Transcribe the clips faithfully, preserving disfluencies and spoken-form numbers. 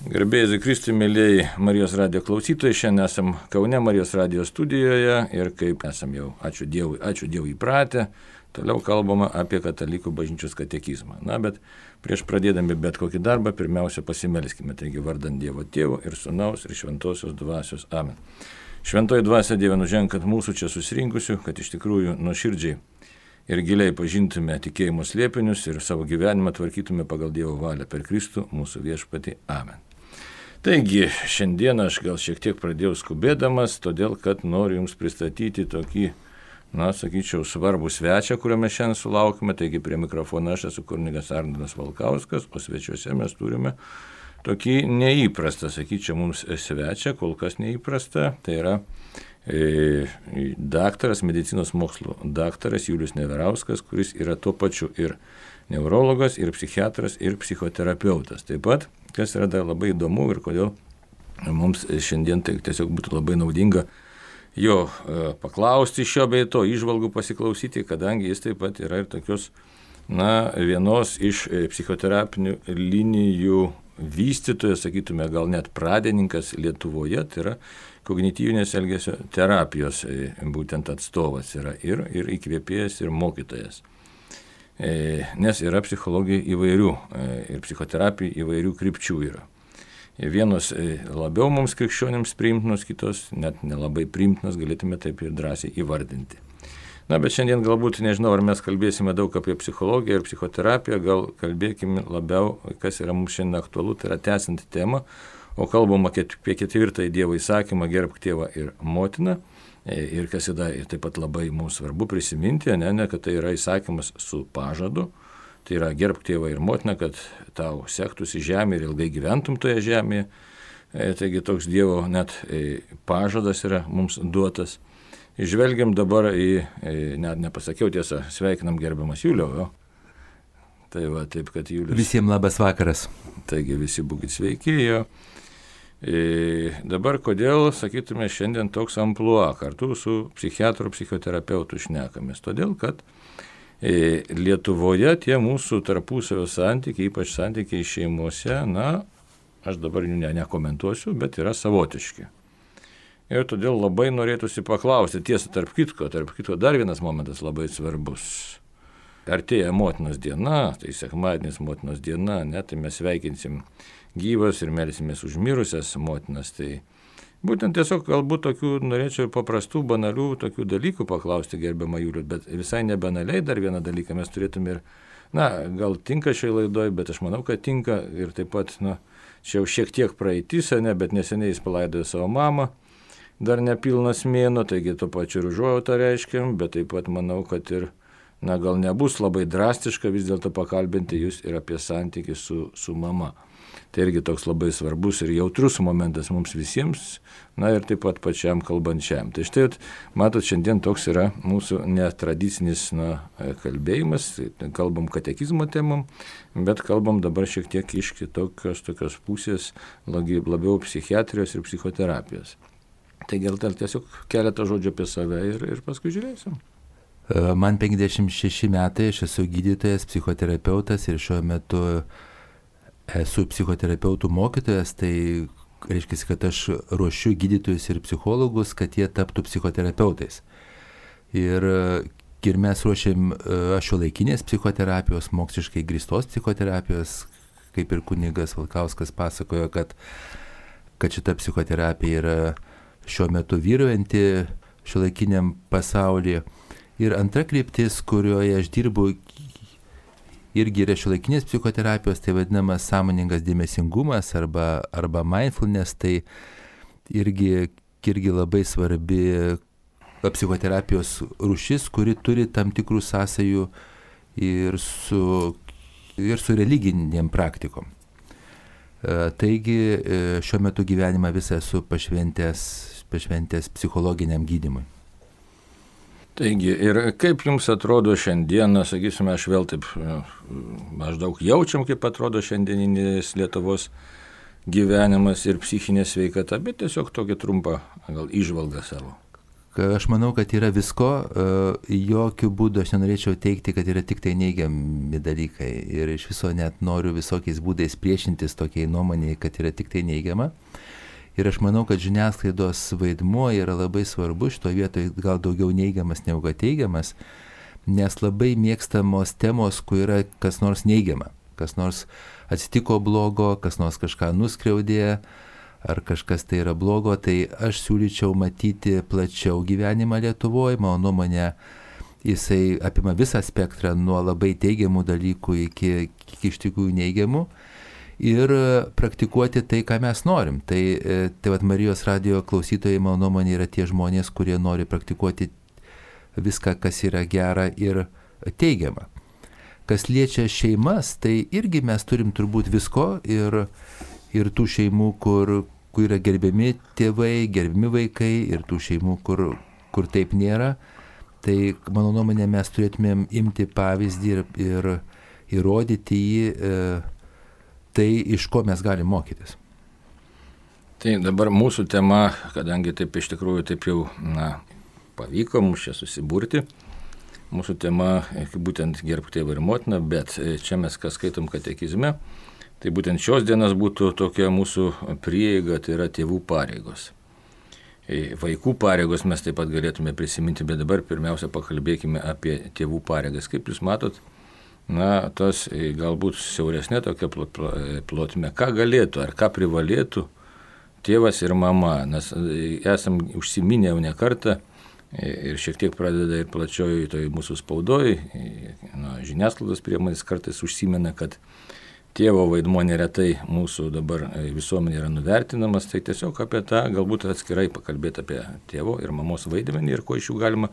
Garbėjai Kristui, mėlyjei Marijos radijo klausytojai, šiandien esam Kaune Marijos radijo studijoje ir kaip esam jau, ačiū Dievui, ačiū Dievui įpratę, toliau kalbama apie katalikų bažnyčios katekizmą. Na, bet prieš pradėdami bet kokį darbą, pirmiausia pasimelskime, taigi vardant Dievo Tėvo ir Sūnaus ir Šventosios Dvasios. Amen. Šventoji Dvasia Dieve nuženk mūsų čia susirinkusių, kad iš tikrųjų nuoširdžiai ir giliai pažintume tikėjimo slėpinius ir savo gyvenimą tvarkytume pagal Dievo valią per Kristų mūsų viešpatį. Amen. Taigi, šiandien aš gal šiek tiek pradėjau skubėdamas, todėl kad noriu Jums pristatyti tokį, na, sakyčiau, svarbų svečią, kuriuo mes šiandien sulaukime. Taigi, prie mikrofono aš esu kunigas Arnoldas Valkauskas, o svečiuose mes turime tokį neįprastą, sakyčiau, mums svečią, kol kas neįprastą. Tai yra e, daktaras, medicinos mokslo daktaras Julius Neverauskas, kuris yra tuo pačiu ir neurologas, ir psichiatras, ir psichoterapeutas. Taip pat, kas yra dar labai įdomu ir kodėl mums šiandien tai tiesiog būtų labai naudinga jo e, paklausti šio bei to, įžvalgų pasiklausyti, kadangi jis taip pat yra ir tokios, na, vienos iš psichoterapinių linijų vystytojas, sakytume, gal net pradininkas Lietuvoje, tai yra kognityvinės elgesio terapijos e, būtent atstovas yra ir, ir įkvėpėjas, ir mokytojas. Nes yra psichologija įvairių ir psichoterapija įvairių krypčių yra. Vienos labiau mums krikščionims priimtinos, kitos net nelabai priimtinos, galėtume taip ir drąsiai įvardinti. Na, bet šiandien galbūt, nežinau, ar mes kalbėsime daug apie psichologiją ir psichoterapiją, gal kalbėkime labiau, kas yra mums šiandien aktualu, tai yra tęsianti tema, o kalbama apie ketvirtąjį Dievo įsakymą gerbk tėvą ir motiną. Ir kas yra ir taip pat labai mums svarbu prisiminti, ne, ne, kad tai yra įsakymas su pažadu, tai yra gerbk tėvą ir motiną, kad tau sektųsi žemė ir ilgai gyventum toje žemėje. E, taigi toks Dievo net e, pažadas yra mums duotas. Žvelgiam dabar į, e, net nepasakiau tiesą, sveikinam gerbiamas Juliau. Jo. Tai va, taip, kad Julius. Visiems labas vakaras. Taigi visi būkit sveiki. Jo. E, dabar kodėl, sakytume, šiandien toks amplua kartu su psichiatru, psichoterapeutu šnekamės? Todėl, kad e, Lietuvoje tie mūsų tarpusavio santykiai, ypač santykiai šeimose, na, aš dabar jų ne, nekomentuosiu, bet yra savotiški. Ir todėl labai norėtųsi paklausti, tiesa, tarp kitko, tarp kitko dar vienas momentas labai svarbus. Artėja motinos diena, tai sekmadienis motinos diena, ne, tai mes sveikinsim gyvas ir melsimės už mirusias motinas. Tai būtent tiesiog galbūt tokių norėčiau paprastų, banalių tokių dalykų paklausti gerbiamą Julių, bet visai nebanaliai dar vieną dalyką mes turėtume ir, na, gal tinka šiai laidoj, bet aš manau, kad tinka ir taip pat, na, čia jau šiek tiek praeitis, ne, bet neseniai jis palaidojo savo mamą, dar nepilnas mėnuo, taigi to pačiu ir užuojautą reiškiam, bet taip pat manau, kad ir, na, gal nebus labai drastiška vis dėlto pakalbinti jūs ir apie santykį su, su mama. Tai irgi toks labai svarbus ir jautrus momentas mums visiems, na ir taip pat pačiam kalbančiam. Tai štai, matot, šiandien toks yra mūsų netradicinis, na, kalbėjimas, kalbam katekizmo temom, bet kalbam dabar šiek tiek iš kitokios tokios pusės, labiau psichiatrijos ir psichoterapijos. Tai gal tiesiog keletą žodžių apie save ir, ir paskui žiūrėsim. Man penkiasdešimt šeši metai, aš esu gydytojas, psichoterapeutas ir šiuo metu esu psichoterapeutų mokytojas, tai reiškia, kad aš ruošiu gydytojus ir psichologus, kad jie taptų psichoterapeutais. Ir, ir mes ruošiam šiuolaikinės psichoterapijos, moksliškai grįstos psichoterapijos, kaip ir kunigas Valkauskas pasakojo, kad, kad šita psichoterapija yra šiuo metu vyraujanti šiuolaikiniam pasaulyje. Ir antra kryptis, kurioje aš dirbu, irgi yra šiuolaikinės psichoterapijos, tai vadinamas sąmoningas dėmesingumas arba, arba mindfulness, tai irgi, irgi labai svarbi psichoterapijos rūšis, kuri turi tam tikrų sąsajų ir su, ir su religinėm praktikom. Taigi šiuo metu gyvenimą visą esu pašventęs, pašventęs psichologiniam gydymui. Taigi, ir kaip jums atrodo šiandieną, sakysime, aš vėl taip maždaug jaučiam, kaip atrodo šiandieninis Lietuvos gyvenimas ir psichinė sveikata, bet tiesiog tokį trumpą gal įžvalgą savo. aš manau, kad yra visko, jokių būdų aš nenorėčiau teikti, kad yra tik tai neigiami dalykai ir iš viso net noriu visokiais būdais priešintis tokiai nuomonėjai, kad yra tik tai neigiama. Ir aš manau, kad žiniasklaidos vaidmuo yra labai svarbu, šitoje vietoje gal daugiau neigiamas negu kad teigiamas, nes labai mėgstamos temos, kur yra kas nors neigiama, kas nors atsitiko blogo, kas nors kažką nuskriaudė, ar kažkas tai yra blogo, tai aš siūlyčiau matyti plačiau gyvenimą Lietuvoje, mano nuomonė, jisai apima visą spektrą nuo labai teigiamų dalykų iki, iki iš tikrųjų neigiamų ir praktikuoti tai, ką mes norim. Tai, tai vat Marijos radijo klausytojai, mano nuomonė, yra tie žmonės, kurie nori praktikuoti viską, kas yra gera ir teigiama. Kas liečia šeimas, tai irgi mes turim turbūt visko ir ir tų šeimų, kur, kur yra gerbiami tėvai, gerbiami vaikai, ir tų šeimų, kur, kur taip nėra. Tai, mano nuomonė, mes turėtumėm imti pavyzdį ir, ir įrodyti jį, e, tai, iš ko mes galim mokytis. Tai dabar mūsų tema, kadangi taip iš tikrųjų taip jau na, pavyko mums čia susiburti, mūsų tema būtent gerbk tėvą ir motiną, bet čia mes kas skaitom katekizme, tai būtent šios dienos būtų tokia mūsų prieiga, tai yra tėvų pareigos. Vaikų pareigos mes taip pat galėtume prisiminti, bet dabar pirmiausia pakalbėkime apie tėvų pareigas. Kaip jūs matot, na, tas galbūt siauresnė tokia plotmė, ką galėtų ar ką privalėtų tėvas ir mama, nes esam užsiminę jau ne kartą ir šiek tiek pradeda ir plačioji toj mūsų spaudoj, na, žiniasklaidos priemonės kartais užsimena, kad tėvo vaidmuo neretai mūsų dabar visuomenė yra nuvertinamas, tai tiesiog apie tą galbūt atskirai pakalbėti apie tėvo ir mamos vaidmenį ir ko iš jų galima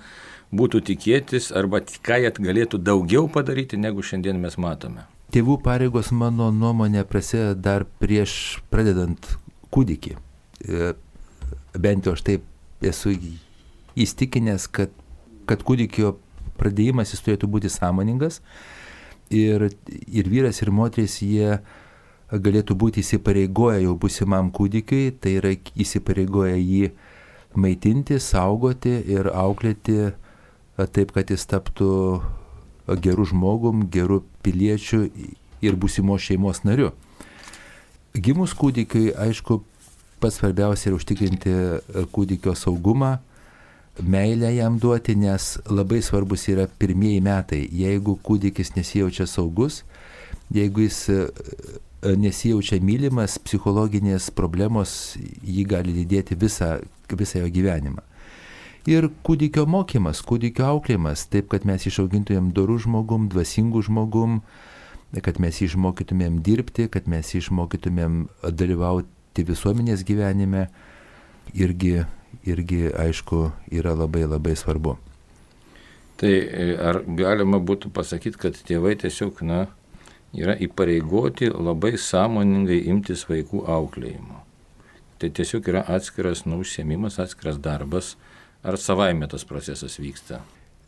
būtų tikėtis arba ką jie galėtų daugiau padaryti, negu šiandien mes matome. Tėvų pareigos, mano nuomonė, prasideda dar prieš pradedant kūdikį. Bent jau aš taip esu įstikinęs, kad, kad kūdikio pradėjimas jis turėtų būti sąmoningas. Ir, ir vyras, ir moteris, jie galėtų būti įsipareigoję jau būsimam kūdikiui, tai yra įsipareigoję jį maitinti, saugoti ir auklėti taip, kad jis taptų gerų žmogum, gerų piliečių ir būsimos šeimos nariu. Gimus kūdikiui, aišku, pats svarbiausia yra užtikrinti kūdikio saugumą, meilę jam duoti, nes labai svarbus yra pirmieji metai. Jeigu kūdikis nesijaučia saugus, jeigu jis nesijaučia mylimas, psichologinės problemos jį gali lydėti visą, visą jo gyvenimą. Ir kūdikio mokymas, kūdikio auklėjimas, taip, kad mes išaugintumėm dorų žmogum, dvasingų žmogum, kad mes išmokytumėm dirbti, kad mes išmokytumėm dalyvauti visuomenės gyvenime, irgi irgi, aišku, yra labai labai svarbu. Tai ar galima būtų pasakyti, kad tėvai tiesiog, na, yra įpareigoti labai sąmoningai imtis vaikų auklėjimo? Tai tiesiog yra atskiras nu, užsiėmimas, atskiras darbas, ar savaime tas procesas vyksta?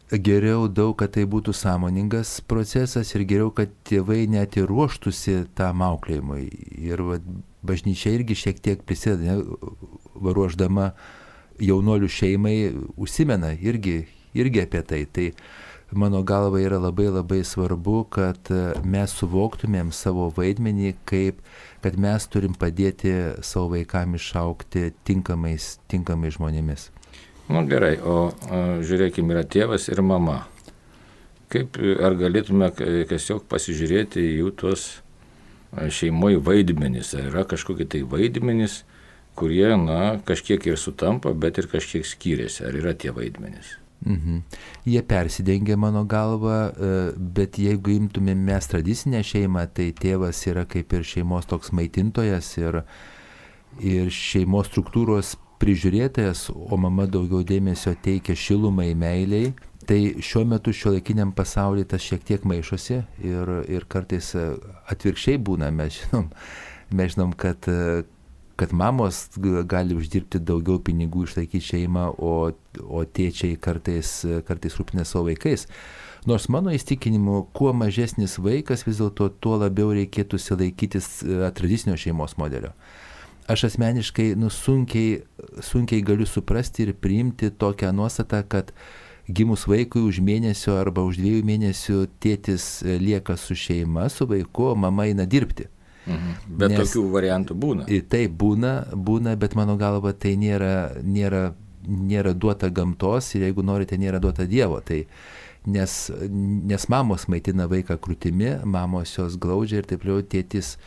Geriau daug, kad tai būtų sąmoningas procesas ir geriau, kad tėvai net ir ruoštųsi tam auklėjimui. Ir va, bažnyčia irgi šiek tiek prisideda, ruošdama jaunuolių šeimai, užsimena irgi, irgi apie tai. Tai mano galva yra labai labai svarbu, kad mes suvoktumėm savo vaidmenį, kaip, kad mes turim padėti savo vaikam išaugti tinkamais, tinkamais žmonėmis. Na gerai, o, o žiūrėkime, yra tėvas ir mama. Kaip, ar galėtume tiesiog pasižiūrėti į jų tuos šeimoje vaidmenis? Ar yra kažkokie tai vaidmenys, kurie, na, kažkiek ir sutampa, bet ir kažkiek skiriasi. Ar yra tie vaidmenys? Mhm. Jie persidengia mano galva, bet jeigu imtumėm mes tradicinę šeimą, tai tėvas yra kaip ir šeimos toks maitintojas ir, ir šeimos struktūros prižiūrėtojas, o mama daugiau dėmesio teikia šilumai, meiliai. Tai šiuo metu šiuolaikiniam pasaulyje tas šiek tiek maišosi ir, ir kartais atvirkščiai būna. Mes žinom, mes žinom kad, kad mamos gali uždirbti daugiau pinigų, išlaikyti šeimą, o, o tėčiai kartais, kartais rūpina savo vaikais. Nors mano įstikinimu, kuo mažesnis vaikas, vis dėlto tuo labiau reikėtų laikytis tradicinio šeimos modelio. aš asmeniškai nu, sunkiai, sunkiai galiu suprasti ir priimti tokią nuostatą, kad gimus vaikui už mėnesio arba už dviejų mėnesių tėtis lieka su šeima, su vaiku, o mama eina dirbti. Mhm. Bet Nes, tokių variantų būna. Taip, būna, būna, bet mano galva tai nėra, nėra, nėra duota gamtos ir jeigu norite, nėra duota Dievo. Tai nes, nes mamos maitina vaiką krūtimi, mamos jos glaudžia ir taip liau tėtis,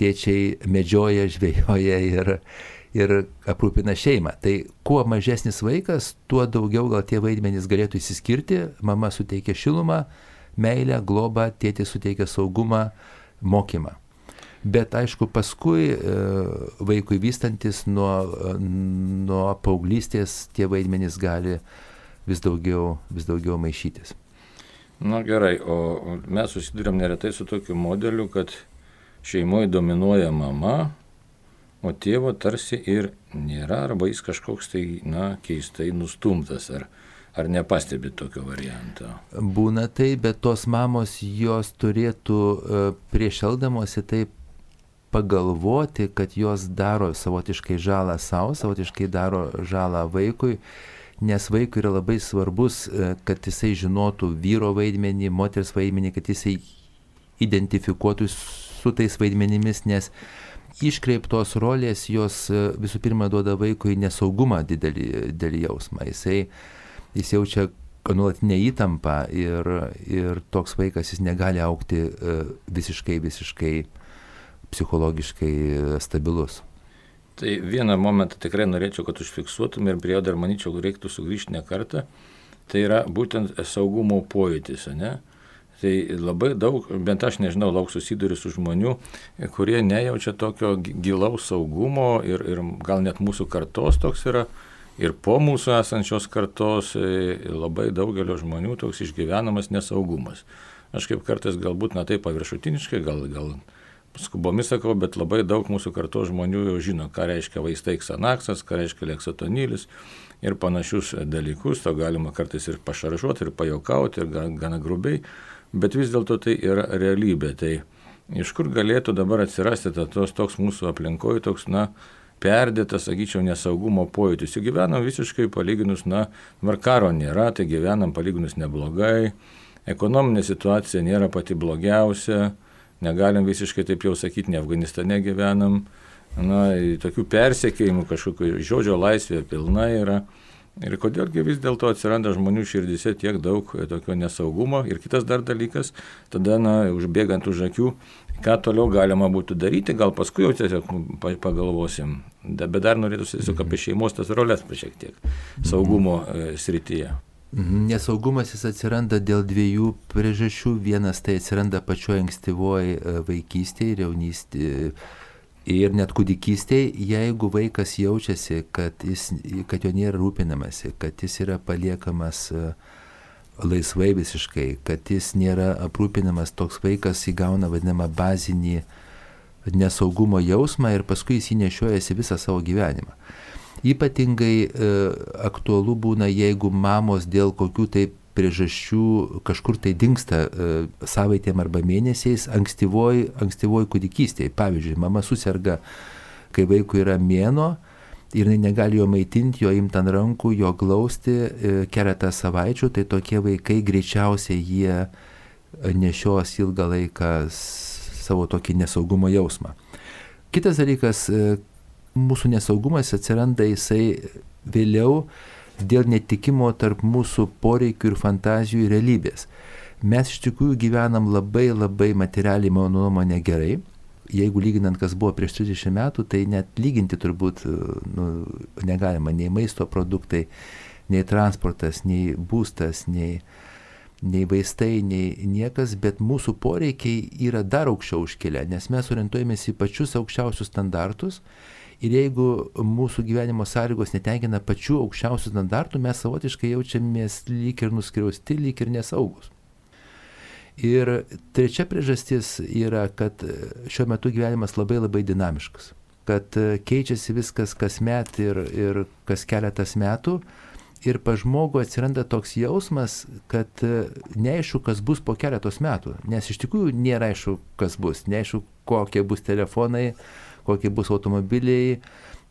tėčiai medžioja, žvejoja ir, ir aprūpina šeimą. Tai kuo mažesnis vaikas, tuo daugiau gal tie vaidmenys galėtų įsiskirti, mama suteikia šilumą, meilę, globą, tėtis suteikia saugumą, mokymą. Bet aišku, paskui e, vaikui vystantis nuo, nuo paauglystės tie vaidmenys gali vis daugiau, vis daugiau maišytis. Na gerai, o mes susidurėm neretai su tokiu modeliu, kad šeimoje dominuoja mama, o tėvo tarsi ir nėra, arba jis kažkoks tai, na, keistai nustumtas, ar, ar nepastebi tokio varianto? Būna tai, bet tos mamos jos turėtų prieš elgdamosi taip pagalvoti, kad jos daro savotiškai žalą savo, savotiškai daro žalą vaikui, nes vaikui yra labai svarbus, kad jisai žinotų vyro vaidmenį, moters vaidmenį, kad jisai identifikuotų su tais vaidmenimis, nes iškreiptos rolės jos visų pirma duoda vaikui nesaugumą didelį, didelį jausmą. Jisai, jis jaučia nuolatinę įtampą ir, ir toks vaikas jis negali augti visiškai, visiškai psichologiškai stabilus. Tai vieną momentą tikrai norėčiau, kad užfiksuotume ir prie jo dar manyčiau reiktų sugrįžti ne kartą. Tai yra būtent saugumo pojūtis, ne? Tai labai daug, bent aš nežinau, lauk susiduriu su žmonių, kurie nejaučia tokio gilaus saugumo ir, ir gal net mūsų kartos toks yra, ir po mūsų esančios kartos labai daugelio žmonių toks išgyvenamas nesaugumas. Aš kaip kartais galbūt na taip paviršutiniškai, gal, gal skubomis sakau, bet labai daug mūsų kartos žmonių jau žino, ką reiškia vaistai Xanaxas, ką reiškia leksotonilis ir panašius dalykus, to galima kartais ir pašaržuoti, ir pajuokauti, ir gana grubiai. Bet vis dėlto tai yra realybė. Tai iš kur galėtų dabar atsirasti tos, toks mūsų aplinkoje, toks, na, perdėtas, sakyčiau, nesaugumo pojūtis. Jau gyvenam visiškai palyginus, na, dabar karo nėra, tai gyvenam palyginus neblogai, ekonominė situacija nėra pati blogiausia, negalim visiškai taip jau sakyti, ne Afganistane gyvenam, na, tokių persekiojimų kažkokių žodžio laisvė pilna yra. Ir kodėlgi vis dėlto atsiranda žmonių širdise tiek daug tokio nesaugumo. Ir kitas dar dalykas, tada, na, užbėgant už akių, ką toliau galima būtų daryti, gal paskui jau tiesiog pagalvosim. Bet dar norėtųsi tiesiog apie šeimos tas rolės šiek tiek saugumo srityje. Nesaugumas jis atsiranda dėl dviejų priežasčių. Vienas tai atsiranda pačioje ankstyvoje vaikystėje ir jaunystėje. Ir net kūdikystėje, jeigu vaikas jaučiasi, kad, jis, kad jo nėra rūpinamasi, kad jis yra paliekamas laisvai visiškai, kad jis nėra aprūpinamas, toks vaikas įgauna vadinamą bazinį nesaugumo jausmą ir paskui jis jį nešiojasi visą savo gyvenimą. Ypatingai e, aktualu būna, jeigu mamos dėl kokių tai priežasčių kažkur tai dingsta e, savaitėm arba mėnesiais ankstyvoj, ankstyvoj kūdikystėje. Pavyzdžiui, mama suserga, kai vaikui yra mėnuo ir jinai negali jo maitinti, jo imti ant rankų, jo glausti e, keletą savaičių, tai tokie vaikai greičiausiai jie nešios ilgą laiką savo tokį nesaugumo jausmą. Kitas dalykas, e, mūsų nesaugumas atsiranda jisai vėliau dėl netikimo tarp mūsų poreikių ir fantazijų ir realybės. Mes iš tikrųjų gyvenam labai labai materialiai, mano nuomonė, gerai. Jeigu lyginant, kas buvo prieš trisdešimt metų, tai net lyginti turbūt nu, negalima. Nei maisto produktai, nei transportas, nei būstas, nei, nei vaistai, nei niekas, bet mūsų poreikiai yra dar aukščiau užkėlę, nes mes orientuojamės į pačius aukščiausius standartus. Ir jeigu mūsų gyvenimo sąlygos netenkina pačių aukščiausių standartų, mes savotiškai jaučiamės lyg ir nuskriausti, lyg ir nesaugus. Ir trečia priežastis yra, kad šiuo metu gyvenimas labai labai dinamiškas. Kad keičiasi viskas kasmet ir, ir kas keletas metų. Ir pa žmogų atsiranda toks jausmas, kad neaišku, kas bus po keletos metų. Nes iš tikrųjų nėra aišku, kas bus. Neaišku, kokie bus telefonai, kokie bus automobiliai,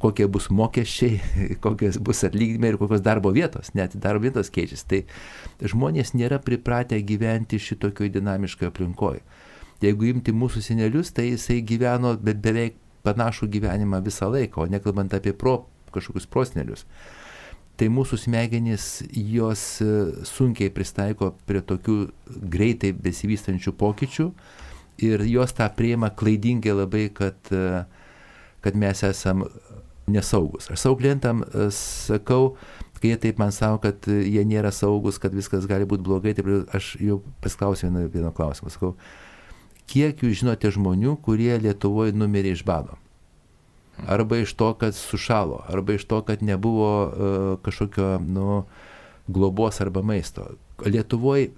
kokie bus mokesčiai, kokios bus atlyginimai ir kokios darbo vietos, net darbo vietos keičiasi. Tai žmonės nėra pripratę gyventi šitokioj dinamiškoje aplinkoje. Jeigu imti mūsų senelius, tai jisai gyveno be, beveik panašų gyvenimą visą laiką, o nekalbant apie pro, kažkokius prosenelius. Tai mūsų smegenys, jos sunkiai pristaiko prie tokių greitai besivystančių pokyčių ir jos tą priima klaidingai labai, kad, kad mes esam nesaugus. Aš savo klientam sakau, kai jie taip man sako, kad jie nėra saugus, kad viskas gali būti blogai, tai aš jau pasklausiu vieno, vieno klausimą. Sakau, kiek jūs žinote žmonių, kurie Lietuvoje numirė iš bado? Arba iš to, kad sušalo, arba iš to, kad nebuvo uh, kažkokio nu, globos arba maisto. Lietuvoje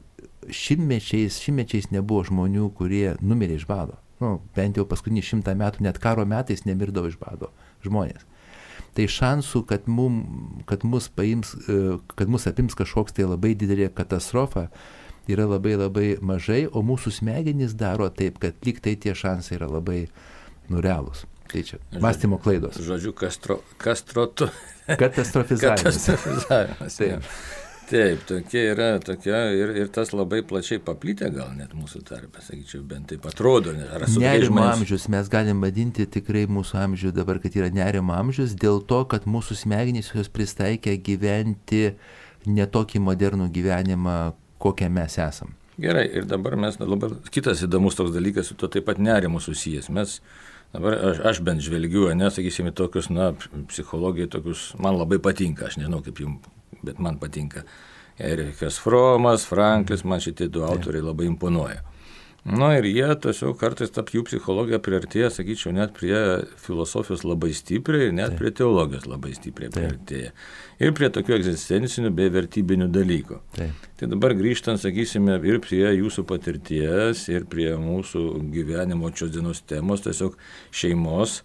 šimtmečiais, šimtmečiais nebuvo žmonių, kurie numirė iš bado. Nu, bent jau paskutinį šimtą metų, net karo metais nemirdavo iš bado žmonės. Tai šansų, kad, mum, kad, mus paims, uh, kad mus apims kažkoks tai labai didelė katastrofa, yra labai labai mažai, o mūsų smegenys daro taip, kad lyg tai tie šansai yra labai nurealūs. Tai čia mąstymo klaidos. Žodžiu, kastro, kastrotu. Katastrofizavimas. Katastrofizavimas. Taip, taip, tokia yra, tokia ir, ir tas labai plačiai paplitę gal net mūsų tarpe, sakyčiau, bent taip atrodo. Nerimo amžius, mes galim vadinti tikrai mūsų amžių dabar, kad yra nerimo amžius, dėl to, kad mūsų smegenys jos pristaikė gyventi netokį modernų gyvenimą, kokią mes esam. Gerai, ir dabar mes, dabar kitas įdomus toks dalykas, su to taip pat nerimu susijęs. Mes Dabar aš, aš bent žvelgiu, nesakysime, tokius, na, psichologijai tokius, man labai patinka, aš nežinau kaip jums, bet man patinka. Erikas Fromas, Franklis, man šitie du autoriai labai imponuoja. Na ir jie tiesiog kartais tarp jų psichologija priartėja, sakyčiau, net prie filosofijos labai stipriai ir net prie teologijos labai stipriai priartėja. Ir prie tokių egzistencinių bei vertybinių dalykų. Taip. Tai dabar grįžtant, sakysime, ir prie jūsų patirties, ir prie mūsų gyvenimo šios dienos temos, tiesiog šeimos.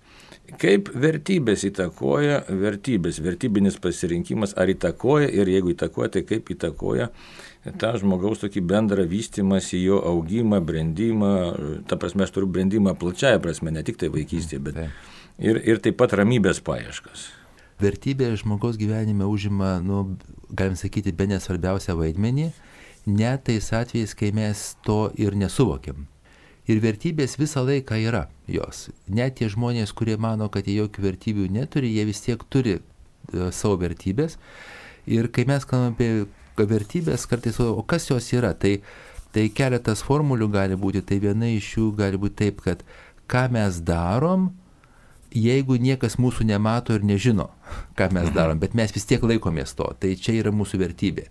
Kaip vertybės įtakoja, vertybės, vertybinis pasirinkimas, ar įtakoja ir jeigu įtakoja, tai kaip įtakoja tą žmogaus tokį bendrą vystymąsi, jo augimą, brendimą, ta prasme, aš turiu brendimą plačiaja prasme, ne tik tai vaikystėje, bet ir, ir taip pat ramybės paieškas. Vertybė žmogaus gyvenime užima, nu, galim sakyti, bene svarbiausią vaidmenį, net tais atvejais, kai mes to ir nesuvokiam. Ir vertybės visą laiką yra jos. Net tie žmonės, kurie mano, kad jie jokių vertybių neturi, jie vis tiek turi uh, savo vertybės. Ir kai mes kalbame apie vertybės, kartais, o kas jos yra, tai, tai keletas formulių gali būti, tai viena iš jų gali būti taip, kad ką mes darom, jeigu niekas mūsų nemato ir nežino, ką mes darom, bet mes vis tiek laikomės to, tai čia yra mūsų vertybė.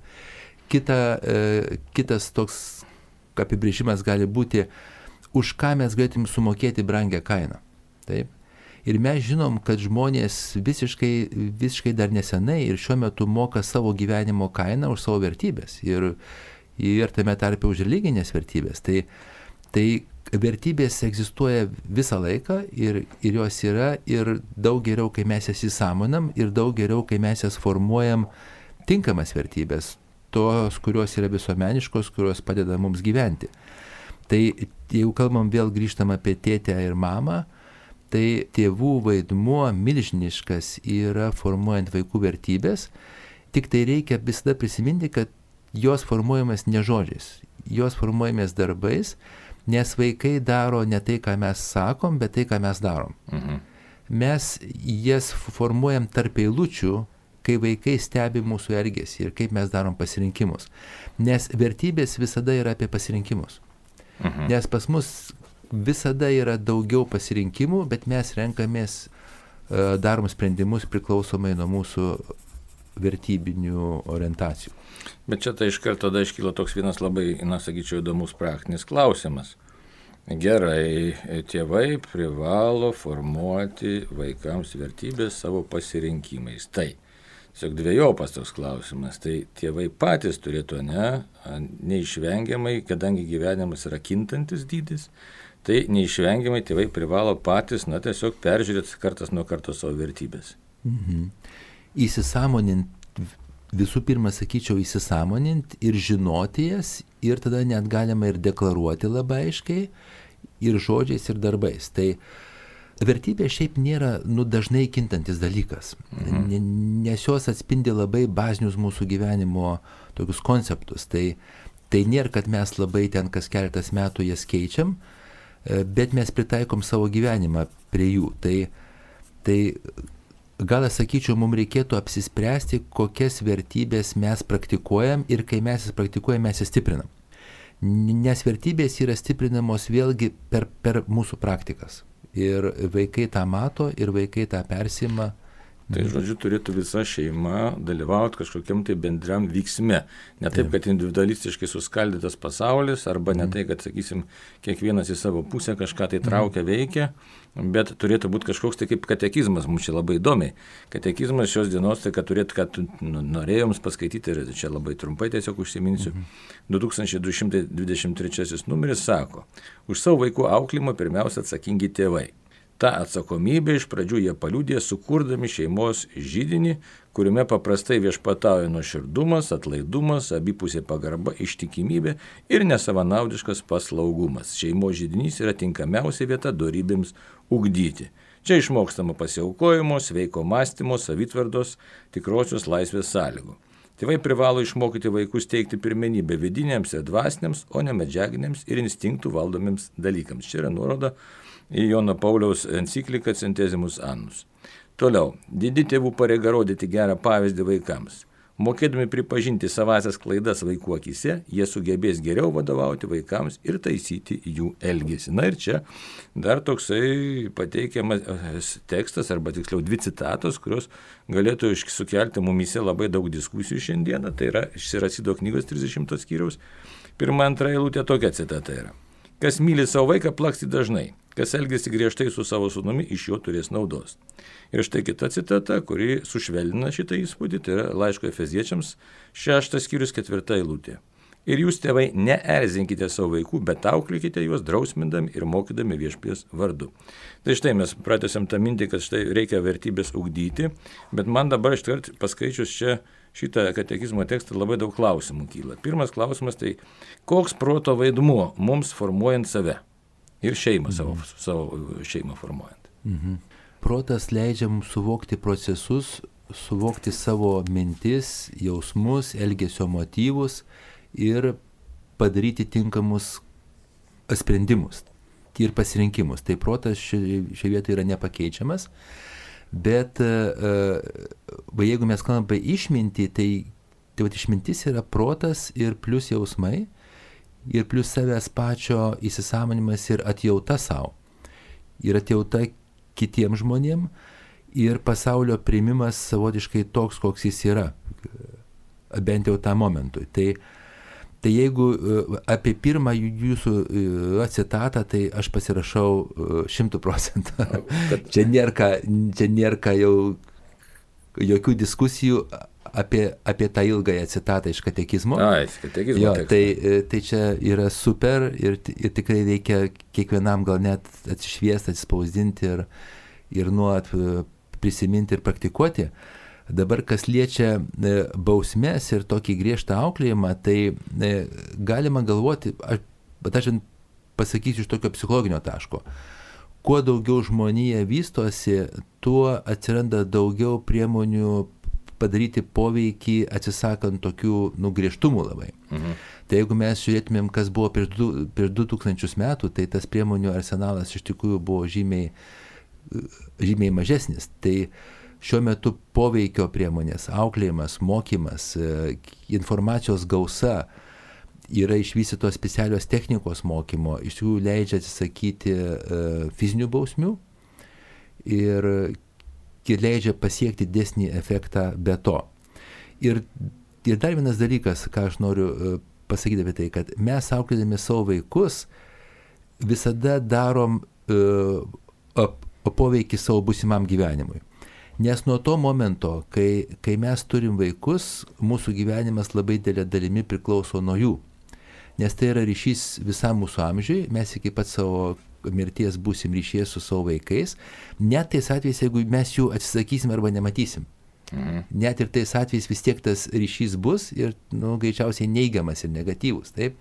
Kita, e, kitas toks apibrėžimas gali būti, už ką mes galėtum sumokėti brangią kainą. Taip? Ir mes žinom, kad žmonės visiškai, visiškai dar nesenai ir šiuo metu moka savo gyvenimo kainą už savo vertybės ir, ir tame tarpe už religinės vertybės. Tai, tai vertybės egzistuoja visą laiką ir, ir jos yra ir daug geriau, kai mes jas įsąmonam ir daug geriau, kai mes jas formuojam tinkamas vertybės, tos, kurios yra visuomeniškos, kurios padeda mums gyventi. Tai jeigu kalbam vėl grįžtam apie tėtę ir mamą, tai tėvų vaidmuo milžiniškas yra formuojant vaikų vertybės, tik tai reikia visada prisiminti, kad jos formuojamas ne žodžiais, jos formuojamas darbais, nes vaikai daro ne tai, ką mes sakom, bet tai, ką mes darom. Mhm. Mes jas formuojam tarp eilučių, kai vaikai stebi mūsų elgesį ir kaip mes darom pasirinkimus. Nes vertybės visada yra apie pasirinkimus. Mhm. Nes pas mus visada yra daugiau pasirinkimų, bet mes renkamės, darom sprendimus priklausomai nuo mūsų vertybinių orientacijų. Bet čia tai iš karto tada iškyla toks vienas labai, na, sakyčiau, įdomus praktinis klausimas. Gerai, tėvai privalo formuoti vaikams vertybės savo pasirinkimais. Tai tiesiog dvejopas toks klausimas. Tai tėvai patys turėtų, ne, neišvengiamai, kadangi gyvenimas yra kintantis dydis, tai neišvengiamai tėvai privalo patys, na, tiesiog peržiūrėti kartas nuo karto savo vertybės. Mhm. Įsisąmonint, visų pirma, sakyčiau, įsisąmonint ir žinoti jas, ir tada net galima ir deklaruoti labai aiškiai, ir žodžiais, ir darbais. Tai vertybė šiaip nėra nu, dažnai kintantis dalykas, mhm. nes jos atspindi labai bazinius mūsų gyvenimo tokius konceptus. Tai, tai nėra, kad mes labai ten kas keletas metų jas keičiam, bet mes pritaikom savo gyvenimą prie jų. Tai, tai gal aš sakyčiau, mums reikėtų apsispręsti, kokias vertybės mes praktikuojam ir kai mes jas praktikuojam, mes jas stiprinam. Nes vertybės yra stiprinamos vėlgi per, per mūsų praktikas. Ir vaikai tą mato, ir vaikai tą persima. Tai žodžiu, turėtų visa šeima dalyvauti kažkokiam tai bendram vyksme. Ne taip, kad individualistiškai suskaldytas pasaulis, arba ne tai, kad, sakysim, kiekvienas į savo pusę kažką tai traukia, veikia, bet turėtų būti kažkoks tai kaip katekizmas, mums čia labai įdomiai. Katekizmas šios dienos, tai kad turėtų, kad norėjom paskaityti, ir čia labai trumpai tiesiog užsiminsiu, du tūkstančiai du šimtai dvidešimt trečiasis numeris sako, už savo vaikų auklėjimą pirmiausia atsakingi tėvai. Ta atsakomybė iš pradžių jie paliudė, sukurdami šeimos židinį, kuriame paprastai viešpatauja nuoširdumas, atlaidumas, abipusė pagarba, ištikimybė ir nesavanaudiškas paslaugumas. Šeimos židinys yra tinkamiausia vieta dorybėms ugdyti. Čia išmokstama pasiaukojimo, sveiko mąstymo, savitvardos, tikrosios laisvės sąlygų. Tėvai privalo išmokyti vaikus teikti pirmenybę vidiniams ir dvasiniams, o ne medžiaginiams ir instinktų valdomiems dalykams. Čia yra nuoroda į Jono Pauliaus encikliką Centesimus Annus. Toliau, didi tėvų pareiga rodyti gerą pavyzdį vaikams. Mokėdami pripažinti savasias klaidas vaikų akise, jie sugebės geriau vadovauti vaikams ir taisyti jų elgesį. Na ir čia dar toksai pateikiamas tekstas, arba tiksliau dvi citatos, kurios galėtų sukelti mumyse labai daug diskusijų šiandieną. Tai yra iš Siracido knygos trisdešimtos skyriaus. Pirma, antra eilutė tokia citata yra. Kas myli savo vaiką, plaksti dažnai. Kas elgiasi griežtai su savo sūnumi, iš jo turės naudos. Ir štai kita citata, kuri sušvelnina šitą įspūdį, tai yra laiško Efeziečiams šeštas skyrius ketvirta eilutė. Ir jūs, tėvai, neerzinkite savo vaikų, bet auklėkite juos drausmindami ir mokydami viešpaties vardu. Tai štai mes pratęsiam tą mintį, kad štai reikia vertybės ugdyti, bet man dabar iškart paskaičius čia šitą katekizmo tekstą labai daug klausimų kyla. Pirmas klausimas tai, koks proto vaidmuo mums formuojant save ir šeimą, mhm. savo, savo šeimą formuojant. Mhm. Protas leidžia mums suvokti procesus, suvokti savo mintis, jausmus, elgesio motyvus ir padaryti tinkamus sprendimus ir pasirinkimus. Tai protas šioje vietoje yra nepakeičiamas. Bet va, jeigu mes kalbame apie išmintį, tai, tai va, išmintis yra protas ir plus jausmai, ir plus savęs pačio įsisąmonimas ir atjauta savo. Ir atjauta kitiems žmonėm ir pasaulio priimimas savotiškai toks, koks jis yra, bent jau tą momentui. Tai, tai jeigu apie pirmą jūsų citatą, tai aš pasirašau šimtų procentų. Čia nėra, čia nėra jau jokių diskusijų apie, apie tą ilgąją citatą iš katekizmo. Ai, katekizmo jo, tai, tai čia yra super ir, ir tikrai reikia kiekvienam gal net atsišviesti, atsispausdinti ir, ir nuolat prisiminti ir praktikuoti. Dabar, kas liečia bausmes ir tokį griežtą auklėjimą, tai galima galvoti, aš, bet aš pasakysiu iš tokio psichologinio taško, kuo daugiau žmonija vystosi, tuo atsiranda daugiau priemonių padaryti poveikį atsisakant tokių nu, griežtumų labai. Mhm. Tai jeigu mes žiūrėtumėm, kas buvo prieš du, prieš du tūkstančius metų, tai tas priemonių arsenalas iš tikrųjų buvo žymiai, žymiai mažesnis. Tai šiuo metu poveikio priemonės, auklėjimas, mokymas, informacijos gausa, yra išvystytos specialios technikos mokymo, iš tikrųjų leidžia atsisakyti fizinių bausmių ir leidžia pasiekti didesnį efektą be to. Ir, ir dar vienas dalykas, ką aš noriu pasakyti apie tai, kad mes auklėdami savo vaikus visada darom uh, poveikį savo būsimam gyvenimui. Nes nuo to momento, kai, kai mes turim vaikus, mūsų gyvenimas labai didelė dalimi priklauso nuo jų. Nes tai yra ryšys visam mūsų amžiui, mes iki pat savo mirties būsim ryšyje su savo vaikais, net tais atvejais, jeigu mes jų atsisakysim arba nematysim. Mhm. Net ir tais atvejais vis tiek tas ryšys bus ir nu, greičiausiai neigiamas ir negatyvus. Taip?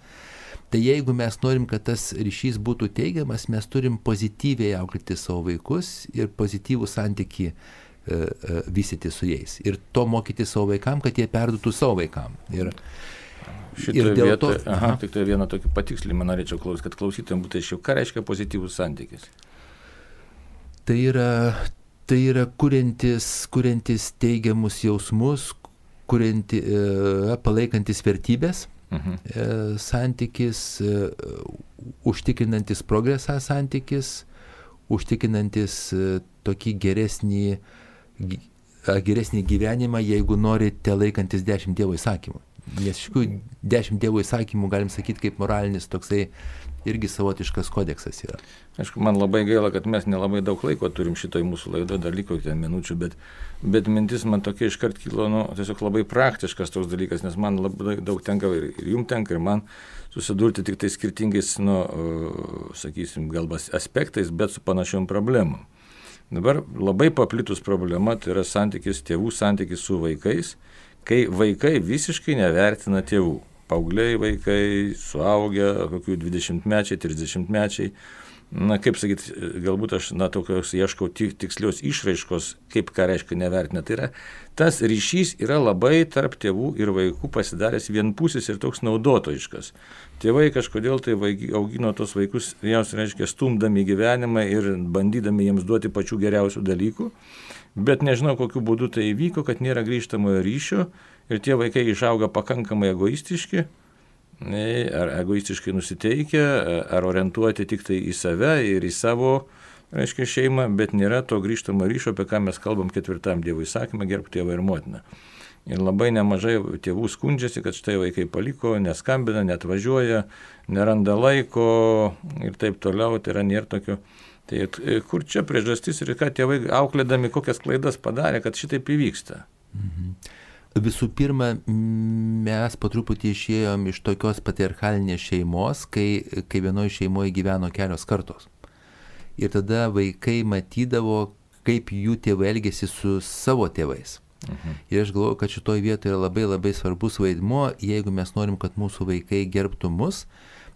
Tai jeigu mes norim, kad tas ryšys būtų teigiamas, mes turim pozityviai auklėti savo vaikus ir pozityvų santykį e, e, vystyti su jais. Ir to mokyti savo vaikam, kad jie perduotų savo vaikam. Ir, Šitoje vietoje, to, aha, tik tai vieną tokį patikslimą norėčiau klausyti, kad klausytojams būtų aiškiau, ką reiškia pozityvus santykis. Tai yra, tai yra kuriantis, kuriantis teigiamus jausmus, kurianti, e, palaikantis vertybės, mhm. e, santykis, e, užtikrinantis progresą santykis, užtikrinantis e, tokį geresnį, geresnį gyvenimą, jeigu norite laikantis dešimt Dievo įsakymų. Nes iš tikrųjų dešimt Dievo įsakymų, galim sakyti, kaip moralinis toksai irgi savotiškas kodeksas yra. Aišku, man labai gaila, kad mes nelabai daug laiko turim šitoj mūsų laido, dar liko ten minučių, bet, bet mintis man tokia iškart kilo, nu, tiesiog labai praktiškas toks dalykas, nes man labai daug tenka ir, ir jums tenka, ir man susidurti tik tai skirtingais, nu, sakysim, galbūt aspektais, bet su panašiom problemom. Dabar labai paplitus problema, tai yra santykis, tėvų santykis su vaikais, kai vaikai visiškai nevertina tėvų. Paaugliai vaikai, suaugę, kokių dvidešimtmečiai, trisdešimtmečiai. Na, kaip sakyti, galbūt aš, na, tokios ieškau tikslios išraiškos, kaip ką reiškia nevertina. Tai yra, tas ryšys yra labai tarp tėvų ir vaikų pasidaręs vienpusis ir toks naudotojiškas. Tėvai kažkodėl tai augino tos vaikus, jiems reiškia, stumdami gyvenimą ir bandydami jiems duoti pačių geriausių dalykų. Bet nežinau, kokiu būdu tai įvyko, kad nėra grįžtamojo ryšio ir tie vaikai išauga pakankamai egoistiški, ar egoistiškai nusiteikę, ar orientuoti tik tai į save ir į savo, reiškia, šeimą, bet nėra to grįžtamo ryšio, apie ką mes kalbam ketvirtam Dievo įsakymą, gerbk tėvą ir motiną. Ir labai nemažai tėvų skundžiasi, kad štai vaikai paliko, neskambina, netvažiuoja, neranda laiko ir taip toliau, tai yra nėra tokio. Tai kur čia priežastis ir ką tėvai auklėdami kokias klaidas padarė, kad šitaip įvyksta? Mhm. Visų pirma, mes po truputį išėjom iš tokios patriarchalinės šeimos, kai, kai vienoje šeimoje gyveno kelios kartos. Ir tada vaikai matydavo, kaip jų tėvai elgėsi su savo tėvais. Mhm. Ir aš galvoju, kad šitoje vietoje yra labai labai svarbus vaidmuo, jeigu mes norim, kad mūsų vaikai gerbtų mus,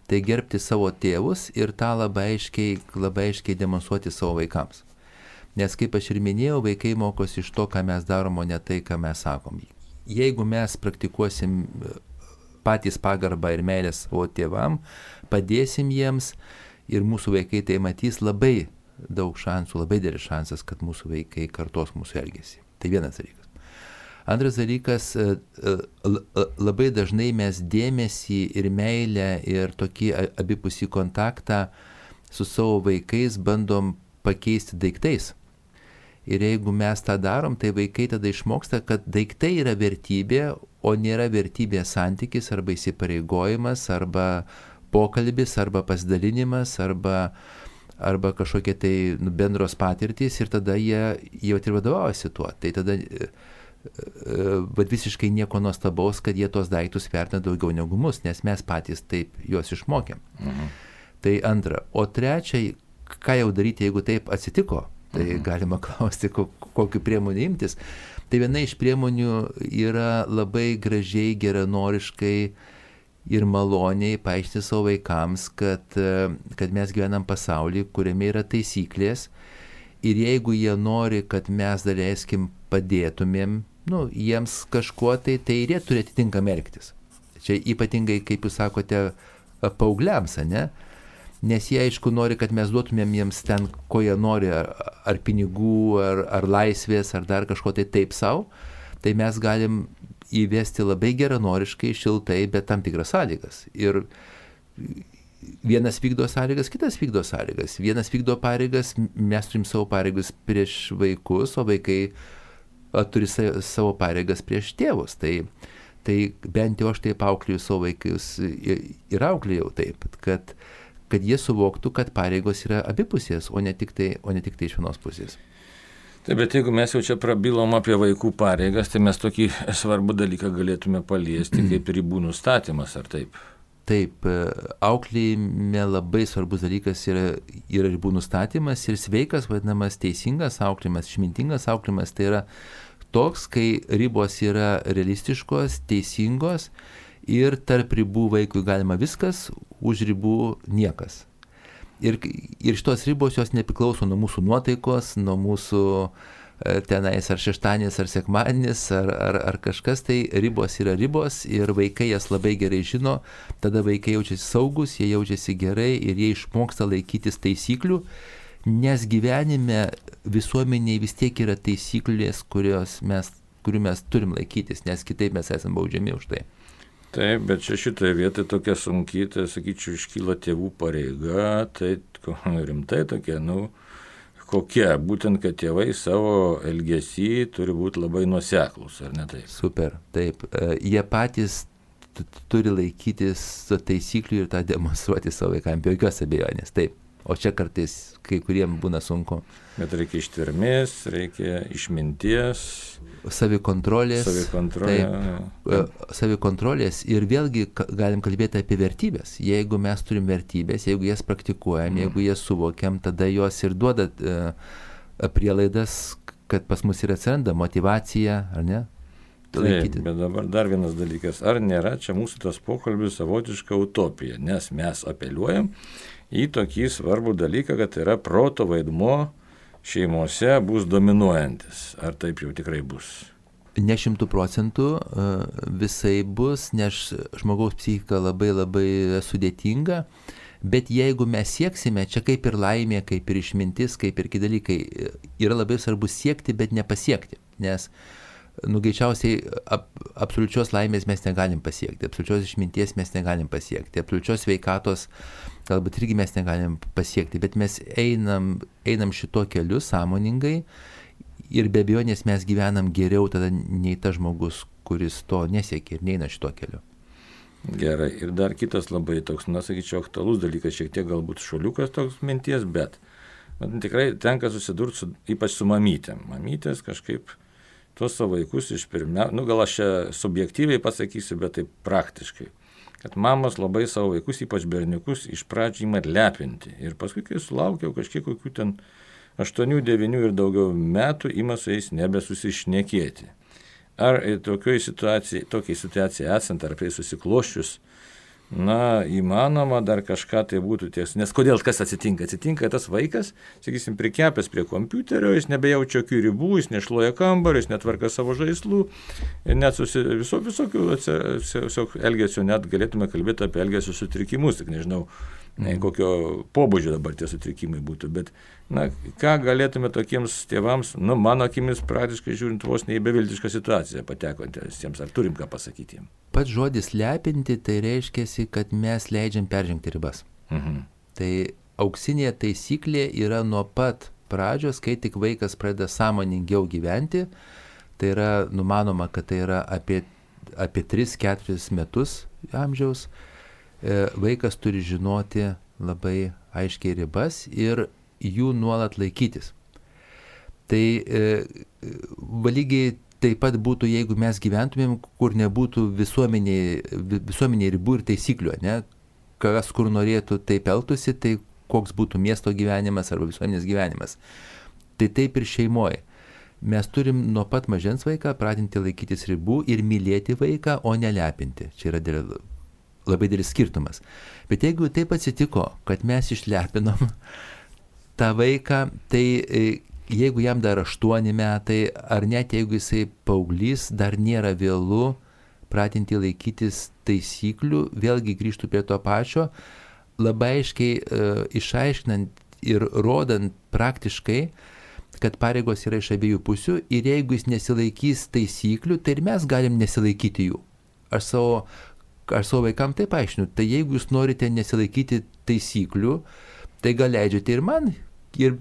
tai gerbti savo tėvus ir tą labai aiškiai, labai aiškiai demonstruoti savo vaikams. Nes kaip aš ir minėjau, vaikai mokosi iš to, ką mes darom, o ne tai, ką mes sakom. Jeigu mes praktikuosim patys pagarbą ir meilę savo tėvam, padėsim jiems ir mūsų vaikai tai matys, labai daug šansų, labai didelis šansas, kad mūsų vaikai kartos mūsų elgesį. Tai vienas dalykas. Antras dalykas, labai dažnai mes dėmesį ir meilę ir tokį abipusį kontaktą su savo vaikais bandom pakeisti daiktais. Ir jeigu mes tą darom, tai vaikai tada išmoksta, kad daiktai yra vertybė, o nėra vertybė santykis arba įsipareigojimas, arba pokalbis, arba pasidalinimas, arba, arba kažkokie tai nu, bendros patirtys ir tada jie jau ir vadovaujasi tuo. Tai tada bet visiškai nieko nuostabaus, kad jie tos daiktus vertina daugiau negu mus, nes mes patys taip juos išmokėm. Mhm. Tai antra. O trečia, ką jau daryti, jeigu taip atsitiko, tai mhm. galima klausti, kokiu priemonių imtis. Tai viena iš priemonių yra labai gražiai, geranoriškai ir maloniai paaiškinti savo vaikams, kad, kad mes gyvenam pasaulį, kuriame yra taisyklės ir jeigu jie nori, kad mes daleiskim padėtumėm, nu, jiems kažkuo, tai tai ir jie turi atitinkamai elgtis. Čia ypatingai, kaip jūs sakote, paaugliams, ne? Nes jie, aišku, nori, kad mes duotumėm jiems ten, ko jie nori, ar, ar pinigų, ar, ar laisvės, ar dar kažko tai taip savo, tai mes galim įvesti labai geranoriškai, šiltai, bet tam tikras sąlygas. Ir vienas vykdo sąlygas, kitas vykdo sąlygas. Vienas vykdo pareigas, mes turim savo pareigas prieš vaikus, o vaikai turi savo pareigas prieš tėvus. Tai, tai bent jau aš taip auklėjau savo vaikus ir auklėjau taip, kad, kad jie suvoktų, kad pareigos yra abipusės, o ne tik tai, o ne tik tai iš vienos pusės. Taip, bet jeigu mes jau čia prabilom apie vaikų pareigas, tai mes tokį svarbų dalyką galėtume paliesti, kaip ribų nustatymas, ar taip? Taip, auklėjime labai svarbus dalykas yra, yra ribų nustatymas ir sveikas, vadinamas teisingas auklėjimas, išmintingas auklėjimas, tai yra toks, kai ribos yra realistiškos, teisingos ir tarp ribų vaikui galima viskas, už ribų niekas. Ir, ir šitos ribos jos nepriklauso nuo mūsų nuotaikos, nuo mūsų tenais ar šeštadienis, ar sekmadienis, ar, ar, ar kažkas, tai ribos yra ribos ir vaikai jas labai gerai žino, tada vaikai jaučiasi saugus, jie jaučiasi gerai ir jie išmoksta laikytis taisyklių, nes gyvenime visuomeniai vis tiek yra taisyklės, kurios mes, kurių mes turim laikytis, nes kitaip mes esame baudžiami už tai. Taip, bet čia šitoje vietoje tokia sunkiai, tai sakyčiau, iškyla tėvų pareiga, tai rimtai tokia, nu, kokia, būtent, kad tėvai savo elgesį turi būti labai nuoseklus, ar ne taip? Super, taip. Jie patys turi laikytis taisyklių ir tą demonstruoti savo vaikams, be jokios abejonės, taip. O čia kartais kai kuriem būna sunku. Bet reikia ištvermės, reikia išminties. Savikontrolės. Savikontrolė. Savikontrolės ir vėlgi galim kalbėti apie vertybės. Jeigu mes turim vertybės, jeigu jas praktikuojam, mm. jeigu jas suvokiam, tada jos ir duoda uh, prielaidas, kad pas mus ir atsiranda motyvacija, ar ne? Taip, bet dabar dar vienas dalykas. Ar nėra čia mūsų tas pokalbis savotiška utopija? Nes mes apeliuojam į tokį svarbų dalyką, kad yra proto vaidmuo šeimose bus dominuojantis. Ar taip jau tikrai bus? Ne šimtų procentų visai bus, nes žmogaus psichika labai labai sudėtinga, bet jeigu mes sieksime, čia kaip ir laimė, kaip ir išmintis, kaip ir kiti dalykai, yra labai svarbu siekti, bet nepasiekti, nes nu, greičiausiai ap, absoliučios laimės mes negalim pasiekti, absoliučios išminties mes negalim pasiekti, absoliučios sveikatos galbūt irgi mes negalim pasiekti, bet mes einam, einam šito keliu sąmoningai ir be abejonės mes gyvenam geriau tada nei tas žmogus, kuris to nesiekia ir neina šito keliu. Gerai, ir dar kitas labai toks, na, sakyčiau, aktualus dalykas, šiek tiek galbūt šuoliukas toks minties, bet man tikrai tenka susidurti su, ypač su mamytėm. Mamytės kažkaip tuos savo vaikus iš pirmia, nu gal aš čia subjektyviai pasakysiu, bet taip praktiškai, kad mamos labai savo vaikus, ypač berniukus, iš pradžių ima lepinti. Ir paskui, kai sulaukiau kažkiek kokių ten aštuonių, devynių ir daugiau metų, ima su jais nebesusišnekėti. Ar tokiai situacijai, tokiai situacijai esant, ar prie susikloščius, na, įmanoma dar kažką tai būtų ties. Nes kodėl kas atsitinka? Atsitinka tas vaikas, sakysim, prikepęs prie kompiuterio, jis nebejaučia jokių ribų, jis nešluoja kambarį, jis netvarka savo žaislų, ir net susi, viso, visokių visokių elgesio, net galėtume kalbėti apie elgesio sutrikimus, tik nežinau, ne, kokio pobūdžio dabar tie sutrikimai būtų, bet, na, ką galėtume tokiems tėvams, nu, mano akimis praktiškai žiūrint vos ne į beviltišką situaciją patekantiems, ar turim ką pasakyti jiems? Pats žodis lepinti, tai reiškia, kad mes leidžiam peržengti ribas. Mhm. Tai auksinė taisyklė yra nuo pat pradžios, kai tik vaikas pradeda sąmoningiau gyventi, tai yra numanoma, kad tai yra apie, apie tris keturis metus amžiaus, vaikas turi žinoti labai aiškiai ribas ir jų nuolat laikytis. Tai e, lygiai taip pat būtų, jeigu mes gyventumėm, kur nebūtų visuomeniai, visuomeniai ribų ir taisyklių, ne? Kas kur norėtų taip elgtųsi, tai koks būtų miesto gyvenimas arba visuomenės gyvenimas. Tai taip ir šeimoje. Mes turim nuo pat mažens vaiką pratinti laikytis ribų ir mylėti vaiką, o nelepinti. Čia yra dėl, labai didelis skirtumas. Bet jeigu taip atsitiko, kad mes išlepinom tą vaiką, tai jeigu jam dar aštuoni metai, ar net jeigu jisai paauglys, dar nėra vėlu pratinti laikytis taisyklių, vėlgi grįžtų prie to pačio, labai aiškiai e, išaiškinant ir rodant praktiškai, kad pareigos yra iš abiejų pusių ir jeigu jis nesilaikys taisyklių, tai ir mes galim nesilaikyti jų. Aš savo, aš savo vaikam taip aiškinu, tai jeigu jūs norite nesilaikyti taisyklių, tai gal leidžiate ir man, ir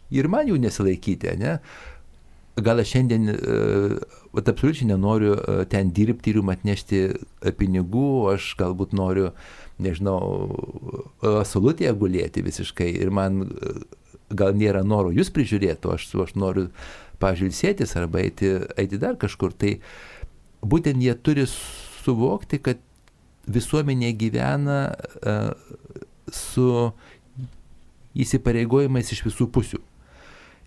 ir man jų nesilaikyti, ne? Gal aš šiandien uh, absoliučiai nenoriu uh, ten dirbti ir jums atnešti uh, pinigų, aš galbūt noriu, nežinau, uh, salutėje gulėti visiškai ir man uh, gal nėra noro jūs prižiūrėti, aš, aš noriu pažilsėtis arba eiti, eiti dar kažkur. Tai būtent jie turi suvokti, kad visuomenė gyvena uh, su įsipareigojimais iš visų pusių.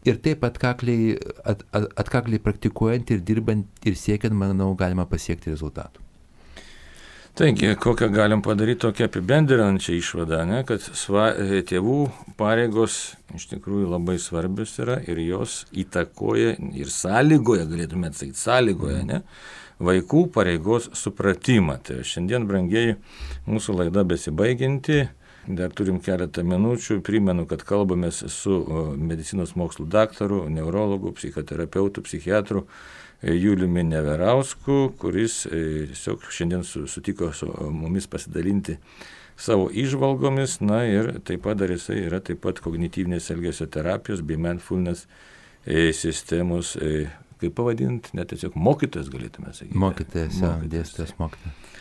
Ir taip atkakliai, at, at, atkakliai praktikuojant ir dirbant ir siekiant, manau, galima pasiekti rezultatų. Taigi, kokią galim padaryti tokią apibendrinančią išvadą, ne, kad sva, tėvų pareigos iš tikrųjų labai svarbios yra ir jos įtakoja ir sąlygoja, galėtume atsakyti, sąlygoja, ne, vaikų pareigos supratimą. Tai šiandien, brangieji, mūsų laida besibaiginti, dar turim keletą minučių, primenu, kad kalbamės su medicinos mokslų daktaru, neurologu, psichoterapeutu, psichiatru, Juliumi Neverausku, kuris tiesiog šiandien sutiko su mumis pasidalinti savo įžvalgomis, na ir taip pat dar jisai yra taip pat kognityvinės elgesio terapijos bei mindfulness sistemos, kaip pavadinti, net tiesiog mokytojas galėtume sakyti. Mokytojas, jo, dėstytojas mokytojas.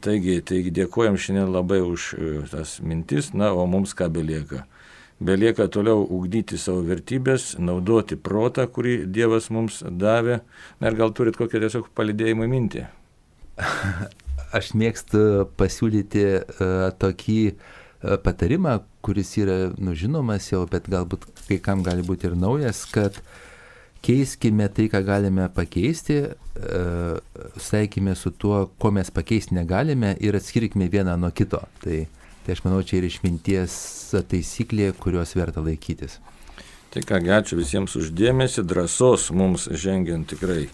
Taigi, taigi dėkojam šiandien labai už tas mintis, na, o mums ką belieka. Belieka toliau ugdyti savo vertybės, naudoti protą, kurį Dievas mums davė. Na ir gal turit kokią tiesiog palydėjimą mintį? Aš mėgstu pasiūlyti uh, tokį uh, patarimą, kuris yra nu, žinomas jau, bet galbūt kai kam gali būti ir naujas, kad keiskime tai, ką galime pakeisti, uh, saikime su tuo, ko mes pakeisti negalime ir atskirkime vieną nuo kito. Tai Tai aš manau, čia ir išminties taisyklė, kurios verta laikytis. Tai kągi, ačiū visiems uždėmesi, drąsos mums žengiant tikrai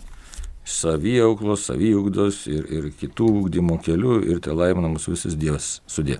saviauklos, saviugdos ir, ir kitų ugdymo kelių ir te laimina mūsų visus Dievas. Sudie.